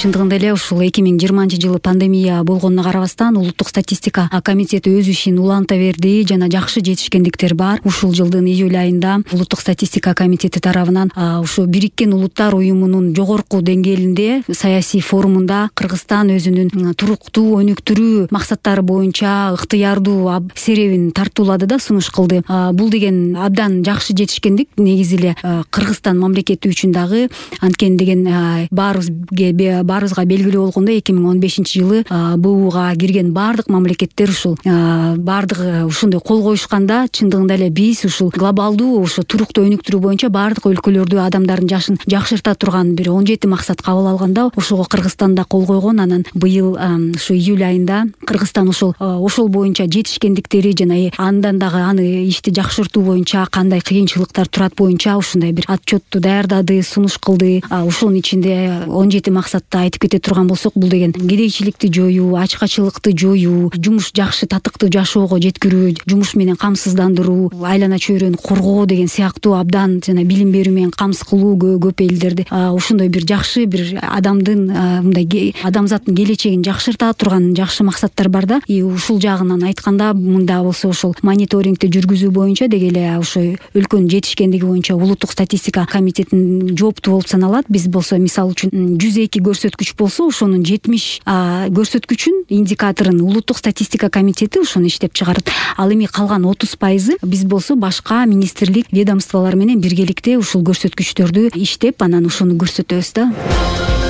Чындыгында эле ушул 2020-жылы пандемия болгонуна карабастан улуттук статистика комитети өз ишин уланта берди жана жакшы жетишкендиктер бар. Ушул жылдын июль айында улуттук статистика комитети тарабынан ушу Бириккен Улуттар уюмунун жогорку деңгээлинде саясий форумунда Кыргызстан өзүнүн туруктуу өнүктүрүү максаттары боюнча ыктыярдуу серебин тартуулады да сунуш кылды. Бул деген абдан жакшы жетишкендик. Негизи эле Кыргызстан мамлекети үчүн дагы анткени деген баарыбызга белгилүү болгондой 2015-жылы БУга кирген баардык мамлекеттер ушул баардыгы ушундай кол коюшканда чындыгында эле биз ушул глобалдуу ушу туруктуу өнүктүрүү боюнча баардык өлкөлөрдү адамдардын жашын жакшырта турган бир 17 максат кабыл алганда ошого Кыргызстанда кол койгон. Анан быйыл ушу июль айында Кыргызстан ошол боюнча жетишкендиктери жана андан дагы аны ишти жакшыртуу боюнча кандай кыйынчылыктар турат боюнча ушундай бир отчетту даярдады, сунуш кылды. Ошонун ичинде 17 максатты айтып кете турган болсок, бул деген кедейчиликти жоюу, ачкачылыкты жоюу, жумуш жакшы татыктуу жашоого жеткирүү, жумуш менен камсыздандыруу, айлана чөйрөнү коргоо деген сыяктуу абдан жана билим берүү менен камсыз кылуу көп элдерди ушундай бир жакшы бир мындай адамзаттын келечегин жакшырта турган жакшы максаттар бар да. Ушул жагынан айтканда мында болсо ошол мониторингти жүргүзүү боюнча деги эле ошо өлкөнүн жетишкендиги боюнча улуттук статистика комитетинин жооптуу болуп саналат. Биз болсо мисалы үчүн 102 көрсөткүч болсо ошонун 70 көрсөткүчүн индикаторун улуттук статистика комитети ошону иштеп чыгарат. Ал эми калган 30% биз болсо башка министрлик ведомстволор менен биргеликте ушул көрсөткүчтөрдү иштеп анан ошону көрсөтөбүз да.